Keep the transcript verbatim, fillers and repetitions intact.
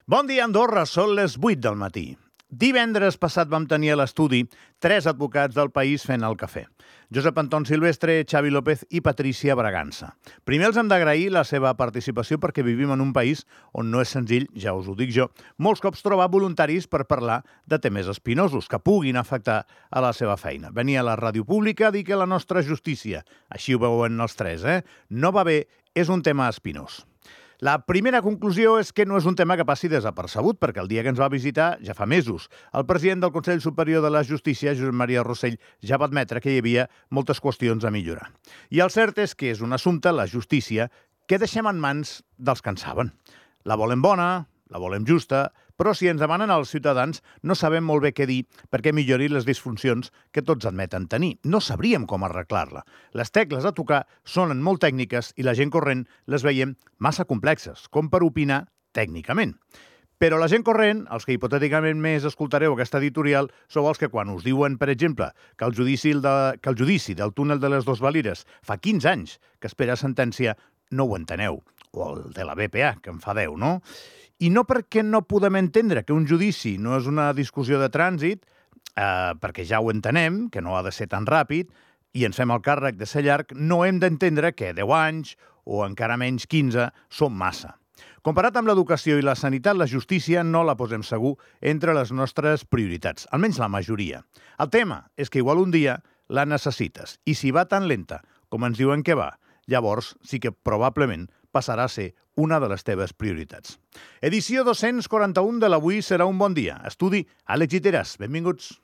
Bon dia, Andorra. Són les vuit del matí. Divendres passat vam tenir a l'estudi tres advocats del país fent el cafè. Josep Anton Silvestre, Xavi López i Patricia Bragança. Primer els hem d'agrair la seva participació perquè vivim en un país on no és senzill, ja us ho dic jo, molts cops trobar voluntaris per parlar de temes espinosos que puguin afectar a la seva feina. Venir a la ràdio pública a dir que la nostra justícia, així ho veuen els tres, eh? no va bé, és un tema espinós. La primera conclusió és que no és un tema que passi desapercebut, perquè el dia que ens va visitar, ja fa mesos, el president del Consell Superior de la Justícia, Josep Maria Rossell, ja va admetre que hi havia moltes qüestions a millorar. I el cert és que és un assumpte, la justícia, que deixem en mans dels que en saben. La volem bona, la volem justa, però si ens demanen els ciutadans no sabem molt bé què dir perquè millori les disfuncions que tots admeten tenir. No sabríem com arreglar-la. Les tecles a tocar sonen molt tècniques i la gent corrent les veiem massa complexes, com per opinar tècnicament. Però la gent corrent, els que hipotèticament més escoltareu aquesta editorial, sou els que quan us diuen, per exemple, que el judici, de, que el judici del túnel de les Dos Valires fa quinze anys que espera sentència, no ho enteneu. O el de la B P A, que en fa deu, no? I no perquè no podem entendre que un judici no és una discussió de trànsit, eh, perquè ja ho entenem, que no ha de ser tan ràpid, i ens fem el càrrec de ser llarg, no hem d'entendre que deu anys, o encara menys quinze, són massa. Comparat amb l'educació i la sanitat, la justícia no la posem segur entre les nostres prioritats, almenys la majoria. El tema és que igual un dia la necessites, i si va tan lenta com ens diuen que va, llavors sí que probablement passarà a ser una de les teves prioritats. Edició dos-cents quaranta-un de l'Avui serà un bon dia. Estudi Àlex Giteras. Benvinguts.